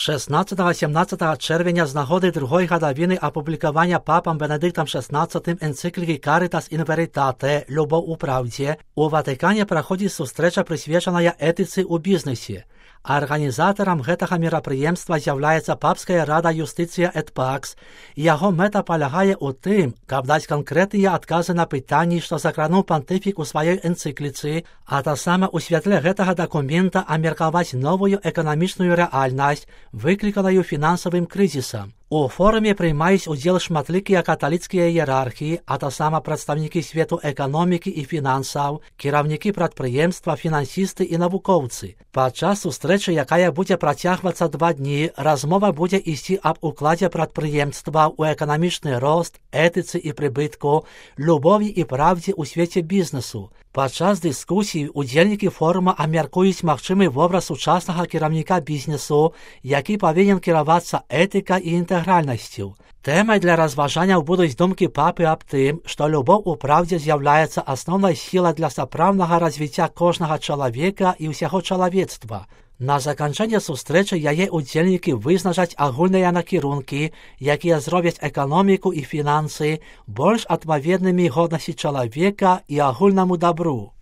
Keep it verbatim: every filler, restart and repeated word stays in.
шестнадцятого-сімнадцятого чэрвеня з нагоды другой гадавіны апублікавання папам Бенедыктам шестнадцатым энцыклікі Caritas in Veritate «Любов у правде» у Ватыкане праходзіць сустрэча, прысвечаная этыцы ў бізнесе. Арганізатарам гэтага мерапрыемства з'яўляецца Папская рада Юстыцыя эт Пакс, і яго мэта палягае ў тым, каб даць канкрэтныя адказы на пытанні, што закрануў пантыфік у сваёй энцыкліцы, а таксама ў святле гэтага дакумента абмеркаваць новую эканамічную рэальнасць, выкліканую фінансавым крызісам. У форуме прымаюць удзел шматлікія каталіцкія іерархі, а таксама прадстаўнікі свету эканомікі і фінансаў, кіраўнікі прадпрыемства, фінансісты і навукоўцы. Падчас сустрэчы, якая будзе працягвацца два дні, размова будзе ісці аб укладзе прадпрыемства ў эканамічны рост, этыцы і прыбытку, любові і правдзе ў свеце бізнесу. Падчас дыскусій удзельнікі форума абмяркуюць магчымы вобраз сучаснага кіраўніка бізнесу, які павінен кіравацца этыкай і інтэгральнасцю. Тэмай для разважанняў будуць думкі папы аб тым, што любоў у праўдзе з'яўляецца асноўнай сілай для сапраўднага развіцця кожнага чалавека і ўсяго чалавецтва. На заканчэнне сустрэчы яе удзельнікі вызначаць агульныя накірункі, якія зробяць эканоміку і фінансы больш адпаведнымі годнасці чалавека і агульнаму дабру.